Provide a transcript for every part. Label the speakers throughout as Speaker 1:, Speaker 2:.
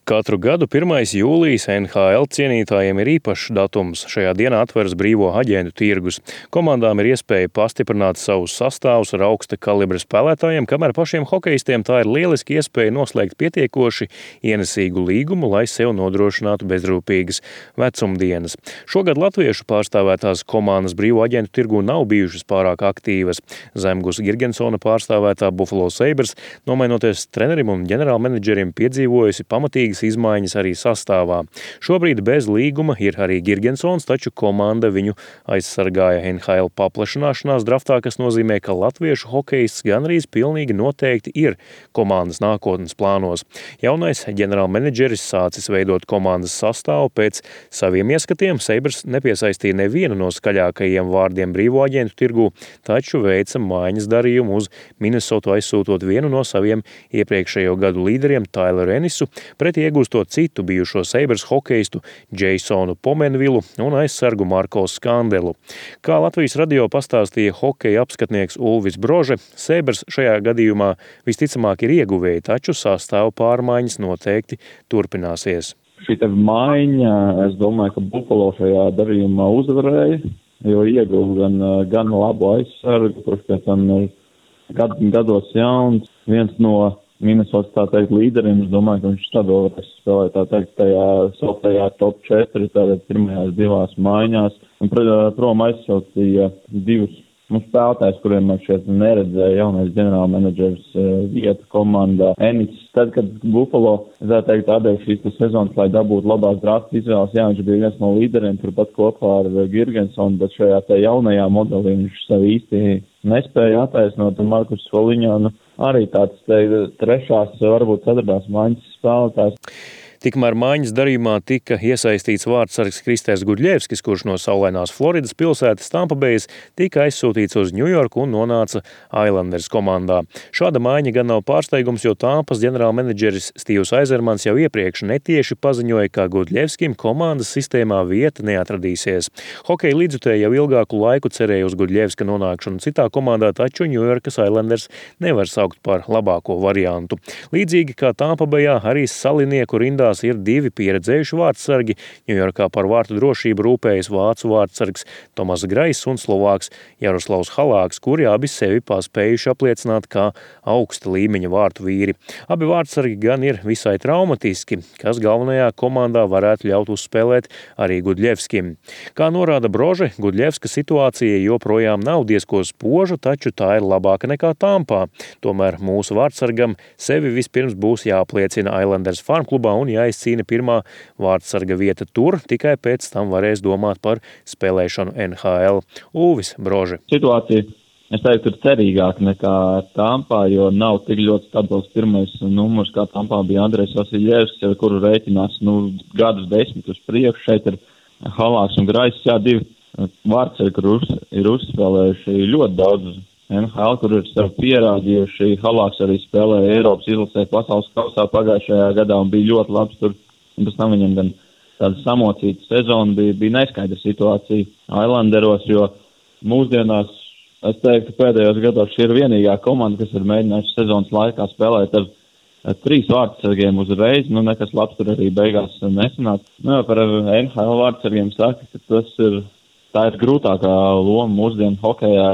Speaker 1: Katru gadu 1. jūlijas NHL cienītājiem ir īpašs datums. Šajā dienā atveras brīvo aģentu tirgus. Komandām ir iespēja pastiprināt savus sastāvus ar augsta kalibra spēlētājiem, kamēr pašiem hokejistiem tā ir lieliski iespēja noslēgt pietiekoši ienesīgu līgumu, lai sev nodrošinātu bezrūpīgas vecumdienas. Šogad latviešu pārstāvētās komandas brīvo aģentu tirgu nav bijušas pārāk aktīvas. Zemgus Girgensona pārstāvētā Buffalo Sabres, nomainoties trenerim un ģenerālmenedžerim, piedzīvojusi pamatīgas izmaiņas arī sastāvā. Šobrīd bez līguma ir arī Girgensons, taču komanda viņu aizsargāja NHL paplašināšanās draftā, kas nozīmē, ka latviešu hokejists gandrīz pilnīgi noteikti ir komandas nākotnes plānos. Jaunais ģenerālmenedžeris sācis veidot komandas sastāvu pēc saviem ieskatiem. Sabres nepiesaistīja nevienu no skaļākajiem vārdiem brīvo aģentu tirgū, taču veica maiņas darījumu uz Minnesotu, aizsūtot vienu no saviem iepriekšējo gadu līderiem Tyleru Ennisu, pretī iegūstot citu bijušo Sabres hokeistu Jasonu Pomenvilu un aizsargu Marko Skandelu. Kā Latvijas radio pastāstīja hokeja apskatnieks Ulvis Brože, Sabres šajā gadījumā visticamāk ir ieguvēji, taču sastāvu pārmaiņas noteikti turpināsies.
Speaker 2: Šī maiņa, es domāju, ka Buffalo šajā darījumā uzvarēja, jo ieguva gan labu aizsargu, kurš pēc tam gados jauns, viens no Minnesotas, tā teikt, līderiem. Es domāju, ka viņš stabilu varēs spēlēt, tā teikt, tajā top 4, tātad pirmajās divās maiņās. Un, prom aizsaucīja divus spēlētājus, kuriem man šeit neredzēja jaunais ģenerālmenedžers vietu komandā. Ennis, tad, kad Buffalo, tā teikt, atdeva šīs sezonas, lai dabūtu labās drafta izvēles, jā, viņš bija viens no līderiem, turpat kopā ar Girgensonu, bet šajā jaunajā modelī viņš sev īsti nespēja attaisnot, un Markus Foligno arī tāds trešās, varbūt ceturtās maiņas spēlētājs.
Speaker 1: Tikmēr maiņas darījumā tika iesaistīts vārdsargs Kristers Gudļevskis, kurš no saulainās Floridas pilsētas Tampa Bayas tika aizsūtīts uz Ņujorku un nonāca Islanders komandā. Šāda maiņa gan nav pārsteigums, jo Tampas ģenerālmenedžeris Stīvs Aizermans jau iepriekš netieši paziņoja, ka Gudļevskim komandas sistēmā vieta neatradīsies. Hokeja līdzjutēji jau ilgāku laiku cerēja uz Gudļevska nonākšanu citā komandā, taču Ņujorkas Islanders nevar saukt par labāko variantu. Līdzīgi kā Tampa Bayā, arī salinieku rindās ir divi pieredzējuši vārdsargi. Ņujorkā par vārtu drošību rūpējas vācu vārdsargs Tomas Grais un slovāks Jaroslavs Halāks, kuri abi sevi paspējuši apliecināt kā augsta līmeņa vārtu vīri. Abi vārdsargi gan ir visai traumatiski, kas galvenajā komandā varētu ļaut uzspēlēt arī Gudļevskim. Kā norāda Brože, Gudļevska situācija joprojām nav diezko spoža, taču tā ir labāka nekā Tampā. Tomēr mūsu vārdsargam sevi vispirms būs jāapliecina Islanders farmklubā un jāizcīna pirmā vārdsarga vieta tur, tikai pēc tam varēs domāt par spēlēšanu NHL. Ulvis Brože.
Speaker 2: Situācija, es teiktu, ir cerīgāka nekā Tampā, jo nav tik ļoti stabils pirmais numurs, kā Tampā bija Andrejs Vasiljevskis, ar kuru rēķinās gadus 10 uz priekšu. Šeit ir Halāks un Grais, divi vārdsargi, kur ir uzspēlējuši ļoti daudz NHL, kur ir sev pierādījuši. Halāks arī spēlēja Eiropas izlasē pasaules kausā pagājušajā gadā un bija ļoti labs tur. Un pēc tam viņam gan tāda samocīta sezona bija neskaidra situācija Islanderos, jo mūsdienās, es teiktu, pēdējos gados šī ir vienīgā komanda, kas ir mēģinājusi sezonas laikā spēlēt ar 3 vārdsargiem uzreiz. Nekas labs tur arī beigās nesanāca. Par NHL vārdsargiem saka, ka tā ir grūtākā loma mūsdienu hokejā,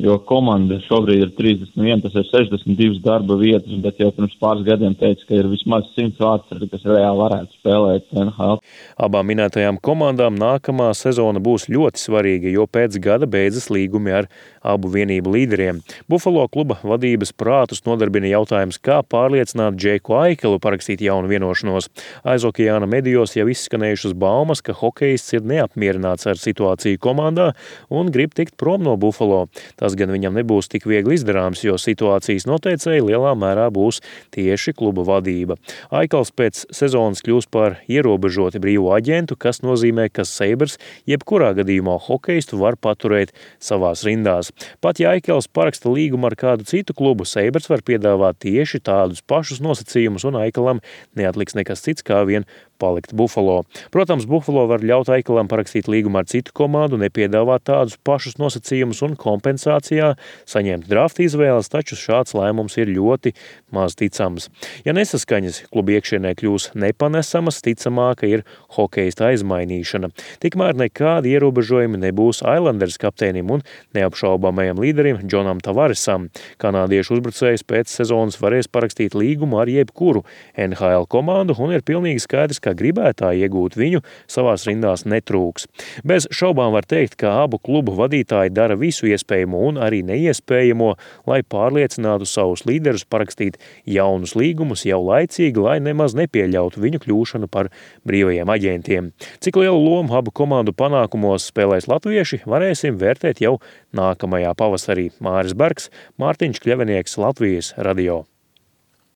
Speaker 2: jo komanda šobrīd ir 31, tas ir 62 darba vietas, bet jau pirms pāris gadiem teica, ka ir vismaz 100 vārdsargi, kas reāli varētu spēlēt NHL.
Speaker 1: Abām minētajām komandām nākamā sezona būs ļoti svarīga, jo pēc gada beidzas līgumi ar abu vienību līderiem. Buffalo kluba vadības prātus nodarbina jautājums, kā pārliecināt Džeiku Aikelu parakstīt jaunu vienošanos. Aizokeāna medijos jau izskanējušas baumas, ka hokejists ir neapmierināts ar situāciju komandā un grib tikt prom no Buffalo. Tas gan viņam nebūs tik viegli izdarāms, jo situācijas noteicēji lielā mērā būs tieši kluba vadība. Aikels pēc sezonas kļūs par ierobežoti brīvo aģentu, kas nozīmē, ka Sabres jebkurā gadījumā hokeistu var paturēt savās rindās. Pat ja Aikels paraksta līgumu ar kādu citu klubu, Sabres var piedāvāt tieši tādus pašus nosacījumus, un Aikelam neatliks nekas cits kā vien palikt Buffalo. Protams, Buffalo var ļaut Aikelam parakstīt līgumu ar citu komandu, nepiedāvāt tādus pašus nosacījumus un kompensācijas organizācijā, saņemt drafta izvēles, taču šāds lēmums ir ļoti maz ticams. Ja nesaskaņas kluba iekšienē kļūs nepanesamas, ticamāka ir hokeista aizmainīšana. Tikmēr nekādi ierobežojumi nebūs Islanders kapteinim un neapšaubāmajam līderim Džonam Tavaresam. Kanādiešu uzbrucējs pēc sezonas varēs parakstīt līgumu ar jebkuru NHL komandu un ir pilnīgi skaidrs, ka gribētāji iegūt viņu savās rindās netrūks. Bez šaubām var teikt, ka abu klubu vadītāji dara visu iespējamo un arī neiespējamo, lai pārliecinātu savus līderus parakstīt jaunus līgumus jau laicīgi, lai nemaz nepieļautu viņu kļūšanu par brīvajiem aģentiem. Cik lielu lomu abu komandu panākumos spēlēs latvieši, varēsim vērtēt jau nākamajā pavasarī. Māris Bergs, Mārtiņš Kļavinieks, Latvijas radio.